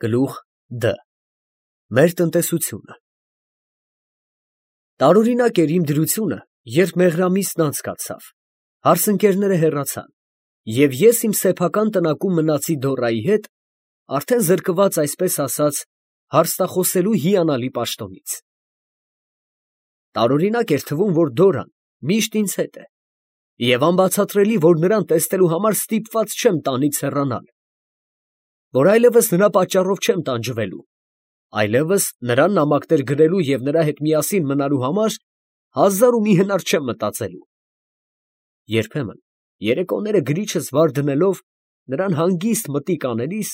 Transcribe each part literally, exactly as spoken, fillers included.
Գլուխ Դ Մեր տնտեսությունը Տարօրինակ էր իմ դրությունը, երբ մեղրամիսն անցկացավ, հարսընկերները հեռացան, և ես իմ սեփական տնակում մնացի Դորայի հետ, արդեն զրկված, այսպես ասած, հարստախոսելու հիանալի պաշտոնից։ Տարօրինակ էր թվում, որ Դորան միշտ ինձ հետ է, և անբացատրելի, որ նրան տեսնելու համար ստիպված չեմ տանից հեռանալ, որ այլևս նրա պատճառով չեմ տանջվելու, այլևս նրան նամակներ գրելու և նրա հետ միասին մնալու համար հազար ու մի հնար չեմ մտածելու։ Երբեմն երեկոները գրիչս վար դնելով, նրան հանգիստ մտիկ անելիս,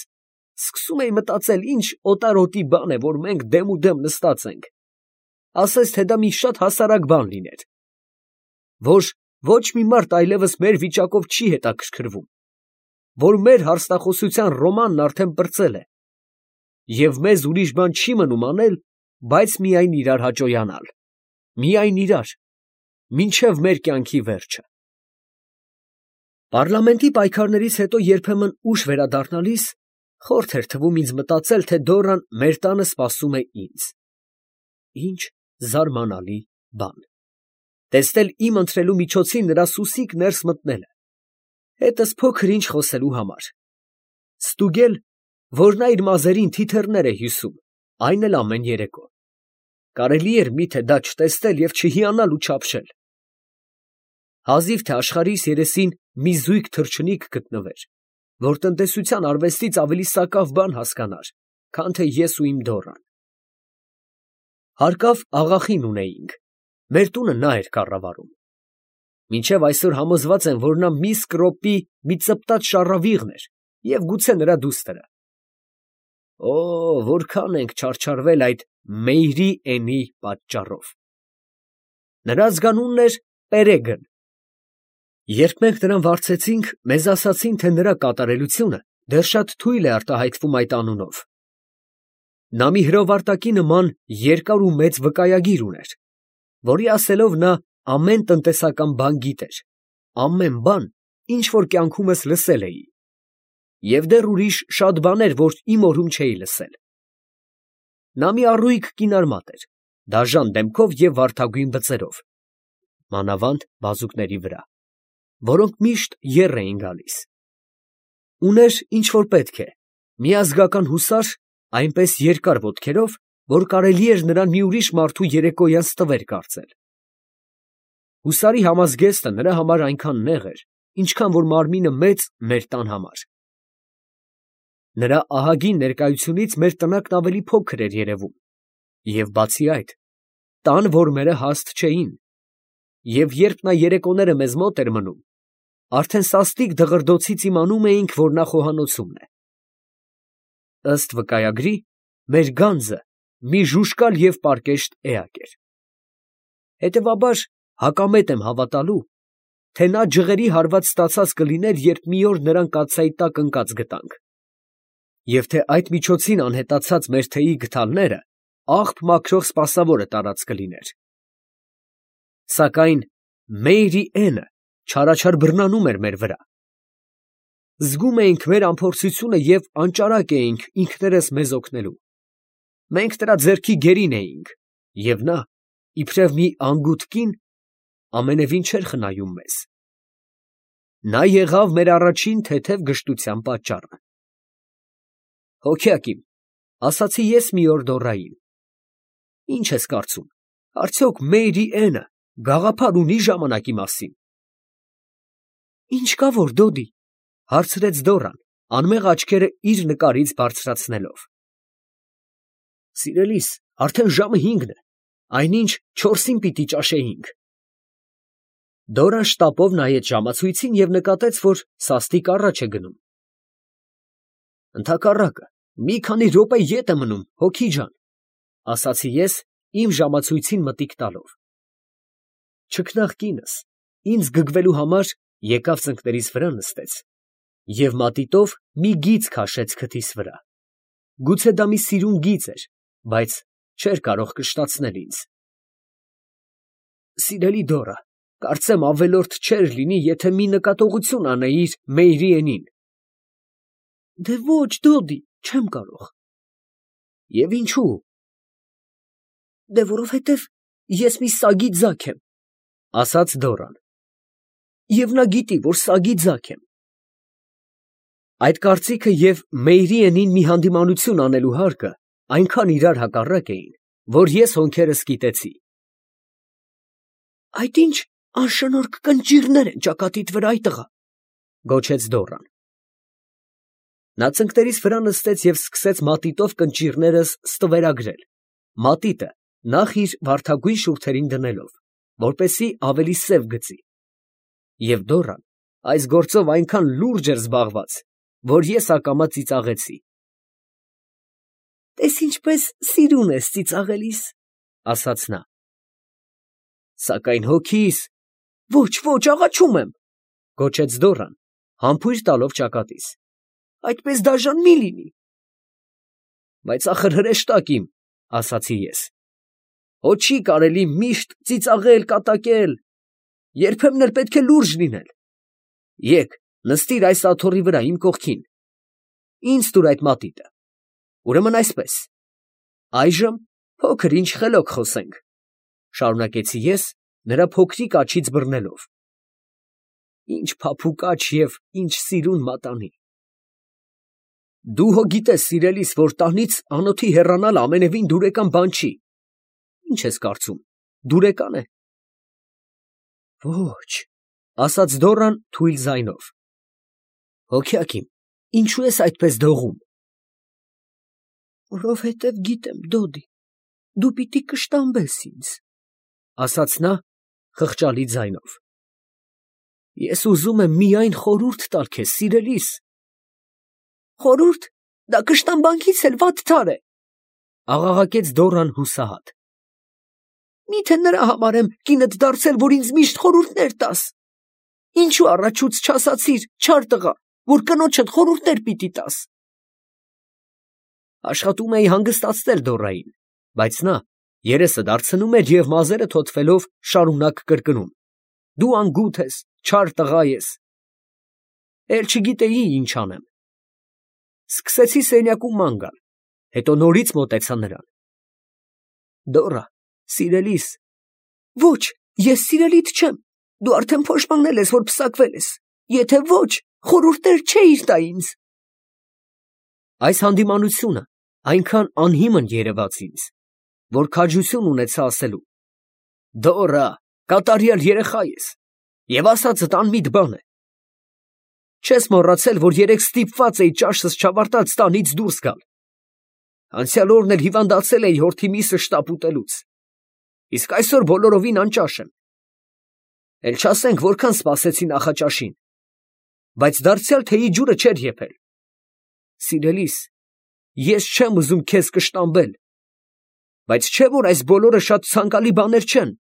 սկսում էի մտածել, ինչ օտարոտի բան է, որ մենք դեմուդեմ նստած ենք, ասես թե դա մի շատ հասարակ բան լիներ, որ ոչ մի մարդ այլևս մեր վիճակով չի հետաքրքրվում, որ մեր հարստախոսության ռոմանն արդեն պրծել է, և մեզ ուրիշ բան չի մնում անել, բայց միայն իրար հաճոյանալ, միայն իրար, մինչև մեր կյանքի վերջը։ Պառլամենտի պայքարներից հետո երբեմն ուշ վերադառնալիս, խորթ էր թվում ինձ մտածել, թե Դորան մեր տանը սպասում է ինձ։ Ինչ զարմանալի բան։ Տեսնել իմ ընթրելու միջոցին նրա սուսիկ ներս մտնելը, հետս փոքր ինչ խոսելու համար, ստուգել, որ նա իր մազերին թիթեռներ է հյուսում, այն էլ ամեն երեկո, կարելի էր միթե դա չտեսնել և չհիանալ ու չափշել։ Հազիվ թե աշխարհիս երեսին մի զույգ թռչնիկ գտնվեր, որ տնտեսության արվեստից ավելի սակավ բան հասկանար, քան թե ես ու իմ Դորան։ Հարկավ աղախին ունեինք, մեր տունը նա էր կառավարում։ Մինչև այսօր համոզված եմ, որ նա մի սկրոպի մի ծպտած շառավիղն էր և գուցե նրա դուստրը։ Օ, որքան ենք չարչարվել այդ Մեյրի էնի պատճառով։ Նրա ազգանունն էր Պերեգն։ Երբ մենք նրան վարձեցինք, մեզ ասացին, թե նրա կատարելությունը դեռ շատ թույլ է արտահայտվում այդ անունով։ Նա մի հրովարտակի նման երկար ու մեծ վկայագիր ուներ, որի ասելով նա ամեն տնտեսական բան գիտեր, ամեն բան, ինչ որ կյանքումս լսել էի, և դեռ ուրիշ շատ բաներ, որ իմ օրում չէի լսել։ Նա մի առույգ կինարմատ էր, դաժան դեմքով և վարդագույն բծերով, մանավանդ բազուկների վրա, որոնք միշտ եռ էին գալիս։ Ուներ, ինչ որ պետք է, մի ազգական հուսար, այնպես երկար ոտքերով, որ կարելի էր նրան մի ուրիշ մարդու երեկոյան ստվեր կարծել։ Հուսարի համազգեստը նրա համար այնքան նեղ էր, ինչքան որ մարմինը մեծ մեր տան համար։ Նրա ահագին ներկայությունից մեր տնակն ավելի փոքր էր երևում, և բացի այդ, տան որմերը հաստ չէին, և երբ նա երեկոները մեզ մոտ էր մնում, արդեն սաստիկ դղրդոցից իմանում էինք, որ նա խոհանոցումն է։ Ըստ վկայագրի, մեր գանձը մի ժուժկալ և պարկեշտ էակ էր։ Հետևաբար, հակամետ եմ հավատալու, թե նա ջղերի հարված ստացած կլիներ, երբ մի օր նրան կաթսայի տակ ընկած գտանք, և թե այդ միջոցին անհետացած մեր թեյի գդալները աղբ մաքրող սպասավորը տարած կլիներ։ Սակայն Մեյրի էնը չարաչար բռնանում էր մեր վրա։ Զգում էինք մեր անփորձությունը և անճարակ էինք ինքներս մեզ օգնելու։ Մենք նրա ձեռքի գերին էինք, և նա, իբրև մի անգութ կին, ամենևին չէր խնայում մեզ։ Նա եղավ մեր առաջին թեթև գժտության պատճառը։ Հոգյակ իմ, ասացի ես մի օր Դորային, ի՞նչ ես կարծում, արդյոք Մեյրի էնը գաղափար ունի ժամանակի մասին։ Ի՞նչ կա որ, Դոդի, ֊ հարցրեց Դորան, անմեղ աչքերը իր նկարից բարձրացնելով։ Սիրելիս, արդեն ժամը հինգն է, այնինչ չորսին պիտի ճաշեինք։ Դորան շտապով նայեց ժամացույցին և նկատեց, որ սաստիկ առաջ է գնում։ Ընդհակառակը, մի քանի րոպե ետ է մնում, հոգի ջան, ֊ ասացի ես, իմ ժամացույցին մտիկ տալով։ Չքնաղ կինս, ինձ գգվելու համար, եկավ ծնկներիս վրա նստեց և մատիտով մի գիծ քաշեց քթիս վրա։ Գուցե դա մի սիրուն գիծ էր, բայց չէր կարող կշտացնել ինձ։ Սիրելի Դորա, կարծեմ ավելորդ չէր լինի, եթե մի նկատողություն անեիր Մեյրի էնին։ Դե ոչ, Դոդի, չեմ կարող, Եվ ինչու։ Դե որովհետև ես մի սագի ձագ եմ, ասաց Դորան, և նա գիտի, որ սագի ձագ եմ։ Այդ կարծիքը և Մեյրիենին մի հանդիմանություն անելու հարկը այնքան իրար հակառակ էին, որ ես հոնքերս կիտեցի։ Այդ ինչ անշնորհք կնճիռներ են ճակատիդ վրա, այ տղա, գոչեց Դորան։ Նա ծնկներիս վրա նստեց և սկսեց մատիտով կնճիռներս ստվերագրել, մատիտը նախ իր վարդագույն շուրթերին դնելով, որպեսզի ավելի սև գծի։ Եվ Դորան այս գործով այնքան լուրջ էր զբաղված, որ ես ակամա ծիծաղեցի։ Տես ինչպես սիրուն ես ծիծաղելիս, ասաց նա։ Սակայն հոգիս, ոչ, ոչ, աղաչում եմ, գոչեց Դորան, համբույր տալով ճակատիս։ Այդպես դաժան մի լինի։ Բայց ախր հրեշտակ իմ, ասացի ես։ Հո չի կարելի միշտ ծիծաղել, կատակել, երբեմն էլ պետք է լուրջ լինել։ Եկ, նստիր այս աթոռի վրա իմ կողքին։ Ինձ տուր այդ մատիտը։ Ուրեմն այսպես։ Այժմ փոքր ինչ խելոք խոսենք, շարունակեցի ես, նրա փոքրիկ աջից բռնելով։ Ինչ փափուկ աջ և ինչ սիրուն մատանի։ Դու հո գիտես, սիրելիս, որ տանից անոթի հեռանալ ամենևին դուրեկան բան չի։ Ինչ ես կարծում, դուրեկան է։ Ոչ, ասաց Դորան թույլ ձայնով։ Հոգյակ իմ, ինչու ես այդպես դողում։ Որովհետև գիտեմ, Դոդի, դու պիտի կշտամբես ինձ, ասաց նա խղճալի ձայնով։ Ես ուզում եմ միայն խորհուրդ տալ քեզ, սիրելիս։ Խորհուրդ, դա կշտամբանքից էլ վատթար է, աղաղակեց Դորան հուսահատ։ Միթե նրա համար եմ կինդ դարձել, որ ինձ միշտ խորհուրդներ տաս։ Ինչու առաջուց չասացիր, չար տղա, որ կնոջդ խորհուրդներ պիտի տաս։ Աշխատում էի հանգստացնել Դորային, բայց նա երեսը դարձնում էր և մազերը թոթվելով շարունակ կրկնում. Դու անգութ ես, չար տղա ես։ Էլ չգիտեի ինչ անեմ։ Սկսեցի սենյակում ման գալ, հետո նորից մոտեցա նրան։ Դորա, սիրելիս։ Ոչ, ես սիրելիդ չեմ, դու արդեն փոշմանել ես, որ պսակվել ես, եթե ոչ, խորհուրդներ չէիր տա ինձ։ Այս հանդիմանությունը այնքան անհիմն երևաց ինձ, որ քաջություն ունեցա ասելու. Դորա, կատարյալ երեխա ես, և ասածդ անմիտ բան է։ Չես մոռացել, որ երեկ ստիպված էի ճաշս չավարտած տանից դուրս գալ։ Անցյալ օրն էլ հիվանդացել էի հորթի միսը շտապ ուտելուց, իսկ այսօր բոլորովին անճաշ եմ։ Էլ չասենք որքան սպասեցի նախաճաշին, բայց դարձյալ թեյի ջուրը չէր եփել։ Սիրելիս, ես չեմ ուզում քեզ կշտամբել, բայց չէ՞ որ այս բոլորը շատ ցանկալի բաներ չեն։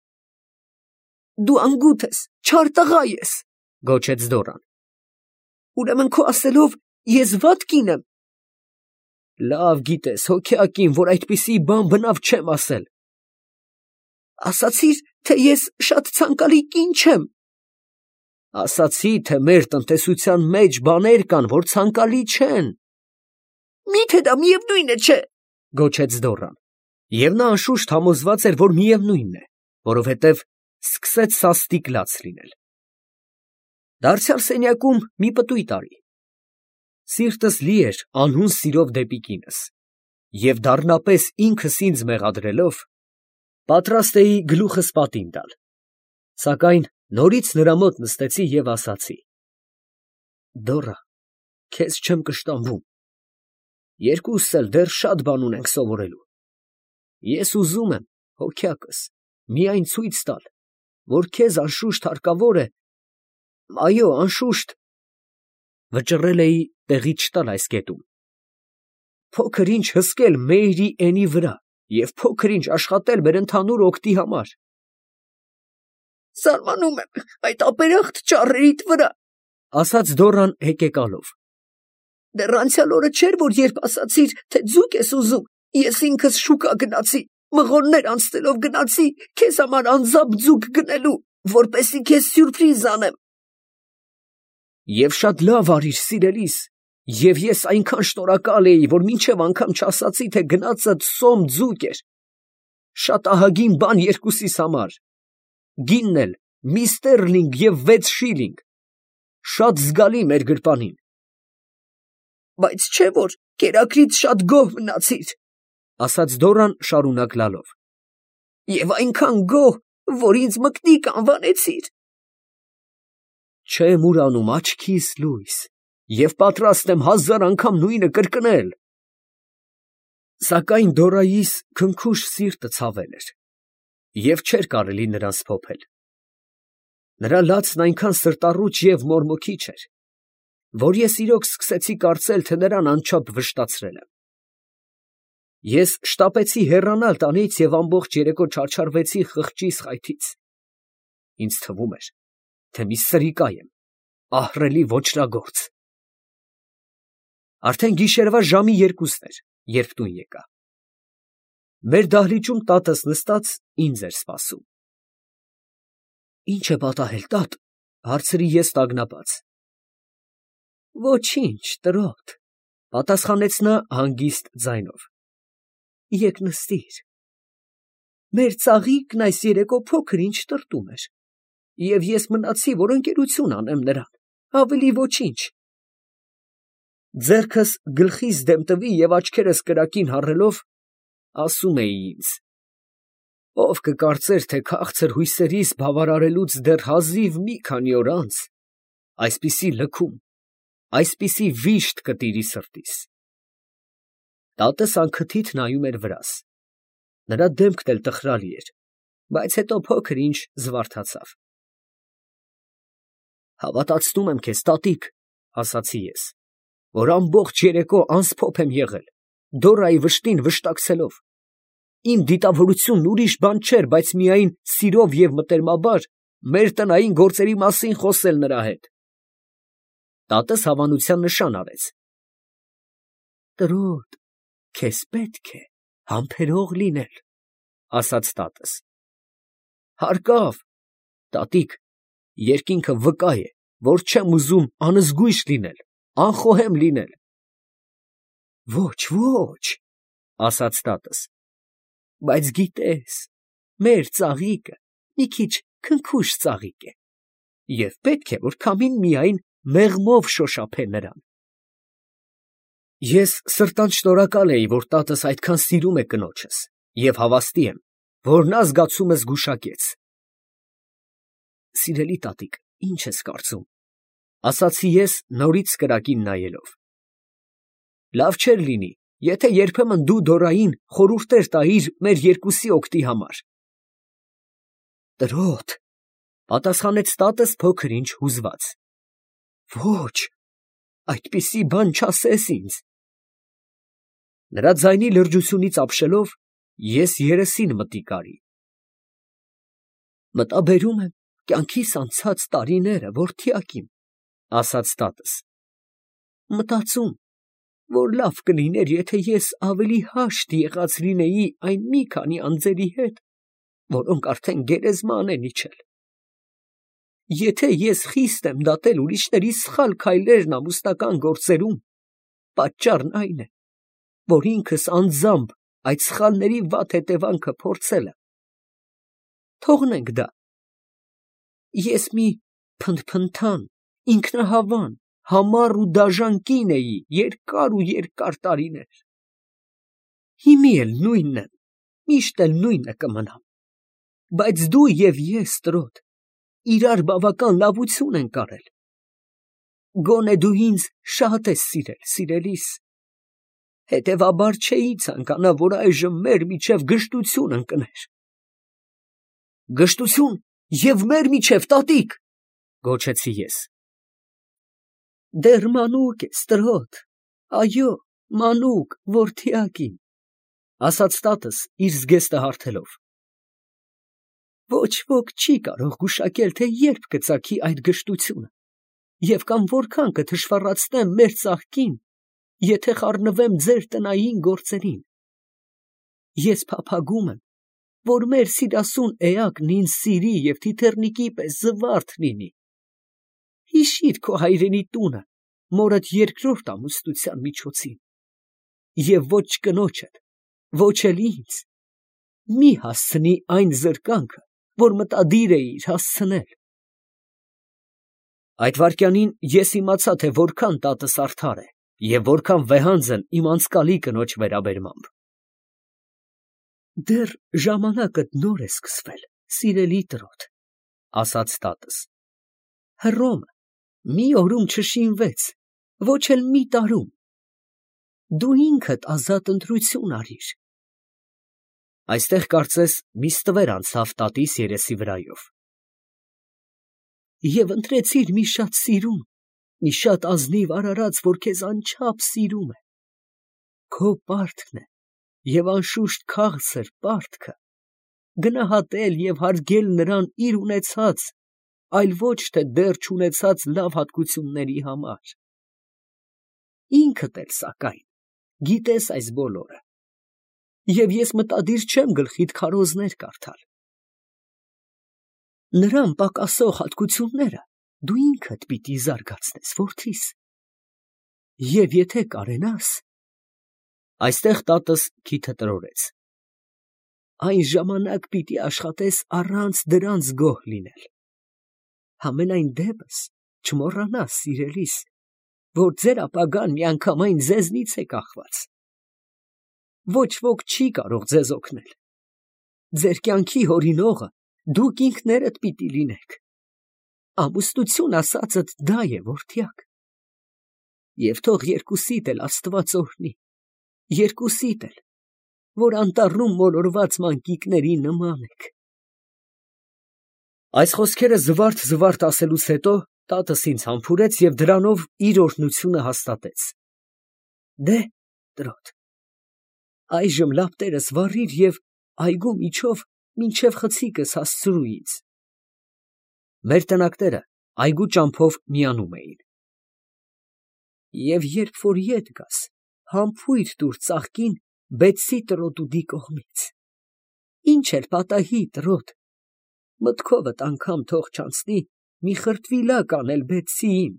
Դու անգութ ես, չար տղա ես, գոչեց Դորան։ Ուրեմն քո ասելով ես վատ կին եմ։ Լավ գիտես, հոգյակին, որ այդպիսի բան բնավ չեմ ասել։ Ասացիր, թե ես շատ ցանկալի կին չեմ։ Ասացի, թե մեր տնտեսության մեջ բաներ կան, որ ցանկալի չեն։ Միթե դա միևնույն է, չէ, գոչեց Դորան։ Եվ նա անշուշտ համոզված էր, որ միևնույնն է, որովհետև սկսեց սաստիկ լաց լինել։ Դարձյալ սենյակում մի պտույտ արի։ Սիրտս լի էր անհուն սիրով դեպի կինս, և դառնապես ինքս ինձ մեղադրելով, պատրաստ էի գլուխս պատին տալ, սակայն նորից նրա մոտ նստեցի և ասացի. Դորա, քեզ չեմ կշտամբում, երկուսս էլ դեռ շատ բան ունենք սովորելու։ Ես ուզում եմ, հոգյակս, միայն ցույց տալ, որ քեզ անշուշտ հարկավոր է, այո, անշուշտ, վճռել էի տեղից չտալ այս կետում, փոքր ինչ հսկել Մեյրիենի վրա և փոքր ինչ աշխատել մեր ընդհանուր օգտի համար։ Զարմանում եմ այդ ապերախտ ճառերիդ վրա, ասաց Դորան հեկեկալով։ Դեռ անցյալ օրը չէր, որ երբ ասացիր, թե ձուկ ես ուզում, ես ինքս շուկա գնացի, մղոններ անցնելով գնացի քեզ համար անձամբ ձուկ գնելու, որպեսզի քեզ սյուրպրիզ անեմ։ Եվ շատ լավ արիր, սիրելիս, Եվ ես այնքան շնորհակալ էի, որ մինչև անգամ չասացի, թե գնացդ սոմ ձուկ էր, շատ ահագին բան երկուսիս համար, գինն էլ մի ստերլինգ և վեց շիլինգ, շատ զգալի մեր գրպանին։ Բայց չէ՞ որ կերակրից շատ գոհ մնացիր, ասաց Դորան շարունակ լալով, և այնքան գոհ, որ ինձ մկնիկ անվանեցիր։ Չեմ ուրանում աչքիս լույս, և պատրաստ եմ հազար անգամ նույնը կրկնել։ Սակայն Դորայիս քնքուշ սիրտը ցավել էր, և չէր կարելի նրան սփոփել։ Նրա լացն այնքան սրտառուչ և մորմոքիչ էր, որ ես իրոք սկսեցի կարծել, թե նրան անչափ վշտացրել եմ։ Ես շտապեցի հեռանալ տանից և ամբողջ երեկո չարչարվեցի խղճիս խայթից. ինձ թվում էր, թե մի սրիկա եմ, ահռելի ոճրագործ։ Արդեն գիշերվա ժամի երկուսն էր, երբ տուն եկա։ Մեր դահլիճում տատս նստած ինձ էր սպասում։ Ի՞նչ է պատահել, տատ, հարցրի ես տագնապած։ Ոչինչ, տրոտ, պատասխանեց նա հանգիստ ձայնով։ Եկ նստիր։ Մեր ծաղիկն այս երեկո փոքր ինչ տրտում էր, և ես մնացի, որ ընկերություն անեմ նրան, ավելի ոչինչ։ Ձեռքս գլխիս դեմ տվի և աչքերս կրակին հառելով, ասում էի ինձ. ով կկարծեր, թե քաղցր հույսերիս բավարարելուց դեռ հազիվ մի քանի օր անց այսպիսի լքում, այսպիսի վիշտ կտիրի սրտիս։ Տատս անքթիթ նայում էր վրաս. նրա դեմքն էլ տխրալի էր, բայց հետո փոքր ինչ զվարթացավ։ Հավատացնում եմ քեզ, տատիկ, ասացի ես, որ ամբողջ երեկո անսփոփ եմ եղել, Դորայի վշտին վշտակցելով։ Իմ դիտավորությունն ուրիշ բան չէր, բայց միայն սիրով և մտերմաբար մեր տնային գործերի մասին խոսել նրա հետ։ Տատս հավանության նշան արեց։ Տրոտ, քեզ պետք է համբերող լինել, ասաց տատս։ Հարկավ, տատիկ, երկինքը վկա է, որ չեմ ուզում անզգույշ լինել, անխոհեմ լինել։ Ոչ, ոչ, ասաց տատս, բայց գիտես, մեր ծաղիկը մի քիչ քնքուշ ծաղիկ է, և պետք է, որ քամին միայն մեղմով շոշափե նրան։ Ես սրտանց շնորհակալ էի, որ տատս այդքան սիրում է կնոջս, և հավաստի եմ, որ նա զգացումս գուշակեց։ Սիրելի տատիկ, ի՞նչ ես կարծում, ասացի ես նորից կրակին նայելով։ Լավ չէր լինի, եթե երբեմն դու Դորային խորհուրդներ տայիր մեր երկուսի օգտի համար։ Տրոտ, պատասխանեց տատս փոքր ինչ հուզված։ Ոչ, այդպիսի բան չասես ինձ։ Նրա ձայնի լրջությունից ապշելով, ես երեսին մտիկ արի։ Մտաբերում եմ կյանքիս անցած տարիները, որդյակ իմ, ասաց տատս։ Մտածում, որ լավ կլիներ, եթե ես ավելի հաշտ եղած լինեի այն մի քանի անձերի հետ, որոնք արդեն գերեզման են իջել։ Եթե ես խիստ եմ դատել ուրիշների սխալ քայլերն ամուսնական գործերում, պատճառն այն է, որ ինքս անձամբ այդ սխալների վատ հետևանքը փորձել եմ։ Թողնենք դա։ Ես մի փնթփնթան, ինքնահավան, համառ ու դաժան կին էի երկար ու երկար տարիներ։ Հիմի էլ նույնն եմ, միշտ էլ նույնը կմնամ։ Բայց դու և ես, տրոտ, իրար բավական լավություն ենք արել։ Գոնե դու ինձ շատ ես սիրել, սիրելիս, հետևաբար չէի ցանկանա, որ այժմ մեր միջև գժտություն ընկներ։ Գժտություն և մեր միջև, տատիկ, գոչեցի ես։ Դեռ մանուկ ես, տրոտ, այո, մանուկ, որդյակ իմ, ասաց տատս իր զգեստը հարթելով։ Ոչ ոք չի կարող գուշակել, թե երբ կծագի այդ գժտությունը, և կամ որքան կթշվառացնեմ մեր ծաղկին, եթե խառնվեմ ձեր տնային գործերին։ Ես փափագում եմ, որ մեր սիրասուն էակն ինձ սիրի և թիթեռնիկի պես զվարթ լինի։ Հիշի՛ր քո հայրենի տունը, մորդ երկրորդ ամուսնության միջոցին, և ոչ կնոջդ, ոչ էլ ինձ, մի հասցնի այն զրկանքը, որ մտադիր էիր հասցնել։ Այդ վայրկյանին ես իմացա, թե որքան տատս արդար է և որքան վեհանձն իմ անցկալի կնոջ վերաբերմամբ։ Դեռ ժամանակդ նոր է սկսվել, սիրելի տրոտ, ասաց տատս, Հռոմը մի օրում չշինվեց, ոչ էլ մի տարում, դու ինքդ ազատ ընտրություն արիր։ Այստեղ կարծես մի ստվեր անցավ տատիս երեսի վրայով։ Եվ ընտրեցիր մի շատ սիրուն, մի շատ ազնիվ արարած, որ քեզ անչափ սիրում է, քո պարտքն է և անշուշտ քաղցր պարտքը, գնահատել և հարգել նրան իր ունեցած, այլ ոչ թե դեռ չունեցած լավ հատկությունների համար։ Ինքդ էլ, սակայն, գիտես այս բոլորը, և ես մտադիր չեմ գլխիդ քարոզներ կարդալ։ Նրան պակասող հատկությունները դու ինքդ պիտի զարգացնես, որդիս, և եթե կարենաս, այստեղ տատս քիթը տրորեց, այն ժամանակ պիտի աշխատես առանց դրանց գոհ լինել։ Համենայն դեպս չմոռանաս, սիրելիս, որ ձեր ապագան միանգամայն ձեզնից է կախված։ Ոչ ոք չի կարող ձեզ օգնել։ Ձեր կյանքի հորինողը դուք ինքներդ պիտի լինեք։ Ամուսնություն ասածդ դա է, որդյակ։ Եվ թող երկուսիդ էլ Աստված օրհնի, երկուսիդ էլ, որ անտառում մոլորված մանկիկների նման եք։ Այս խոսքերը զվարթ֊զվարթ ասելուց հետո տատս ինձ համբուրեց և դրանով իր օրհնությունը հաստատեց։ Դե՛հ, տրոտ, այժմ լապտերս վառիր և այգու միջով մինչև խցիկս հասցրու ինձ։ Մեր տնակները այգու ճամփով միանում էին։ Եվ երբ որ ետ գաս, համբույր տուր ծաղկին Բեցսի տրոտուդի կողմից։ Ինչ էլ պատահի, տրոտ, մտքովդ անգամ թող չանցնի մի խրտվիլակ անել Բեցսիին,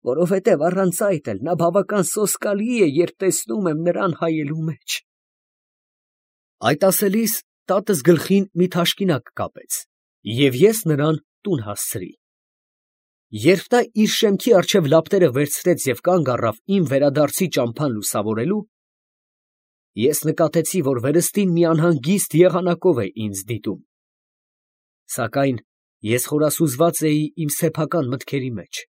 որովհետև առանց այդ էլ նա բավական սոսկալի է, երբ տեսնում եմ նրան հայելու մեջ։ Այդ ասելիս տատս գլխին մի թաշկինակ կապեց, և ես նրան տուն հասցրի։ Երբ նա իր շեմքի առջև լապտերը վերցրեց և կանգ առավ իմ վերադարձի ճամփան լուսավորելու, ես նկատեցի, որ վերստին մի անհանգիստ եղանակով է ինձ դիտում։ Սակայն ես խորասուզված էի իմ սեփական մտքերի մեջ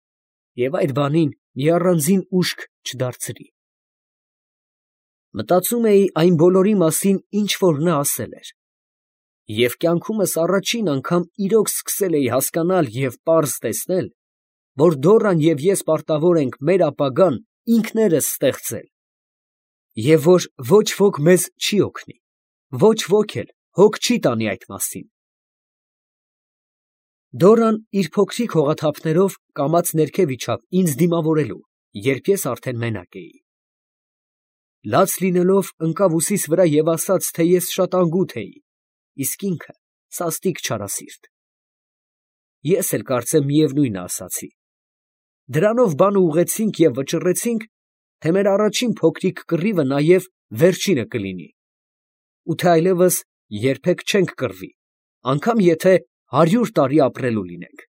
և այդ բանին մի առանձին ուշք չդարձրի։ Մտածում էի այն բոլորի մասին, ինչ որ նա ասել էր, և կյանքումս առաջին անգամ իրոք սկսել էի հասկանալ և պարզ տեսնել, որ Դոռան և ես պարտավոր ենք մեր ապագան ինքներս ստեղծել, և որ ոչ ոք մեզ չի օգնի, ոչ ոք էլ հոգ չի տանի այդ մասին։ Դոռան իր փոքրիկ հողաթափներով կամաց ներքև իջավ ինձ դիմավորելու, երբ ես արդեն մենակ էի։ Լաց լինելով ընկավ ուսիս վրա և ասաց, թե ես շատ անգութ էի, իսկ ինքը սաստիկ չարասիրտ։ Ես էլ կարծեմ միևնույնը ասացի։ Դրանով բանը ուղղեցինք և վճռեցինք, թե մեր առաջին փոքրիկ կռիվը նաև վերջինը կլինի, ու թե այլևս երբեք չենք կռվի, անգամ եթե հարյուր տարի ապրելու լինենք։